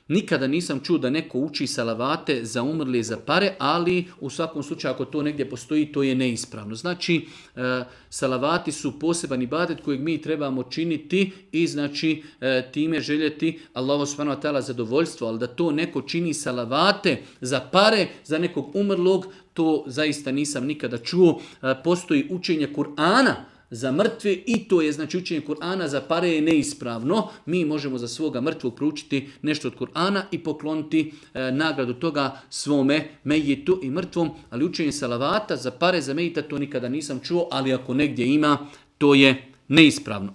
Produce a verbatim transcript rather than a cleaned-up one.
Nikada nisam čuo da neko uči salavate za umrli za pare, ali u svakom slučaju ako to negdje postoji, to je neispravno. Znači, e, salavati su poseban ibadet kojeg mi trebamo činiti i znači e, time željeti Allahu subhanahu wa ta'ala zadovoljstvo, ali da to neko čini salavate za pare, za nekog umrlog, to zaista nisam nikada čuo. E, postoji učenje Kur'ana za mrtve i to je znači učenje Kur'ana za pare je neispravno. Mi možemo za svoga mrtvog proučiti nešto od Kur'ana i pokloniti e, nagradu toga svome mejitu i mrtvom, ali učenje salavata za pare za mejita to nikada nisam čuo, ali ako negdje ima, to je neispravno.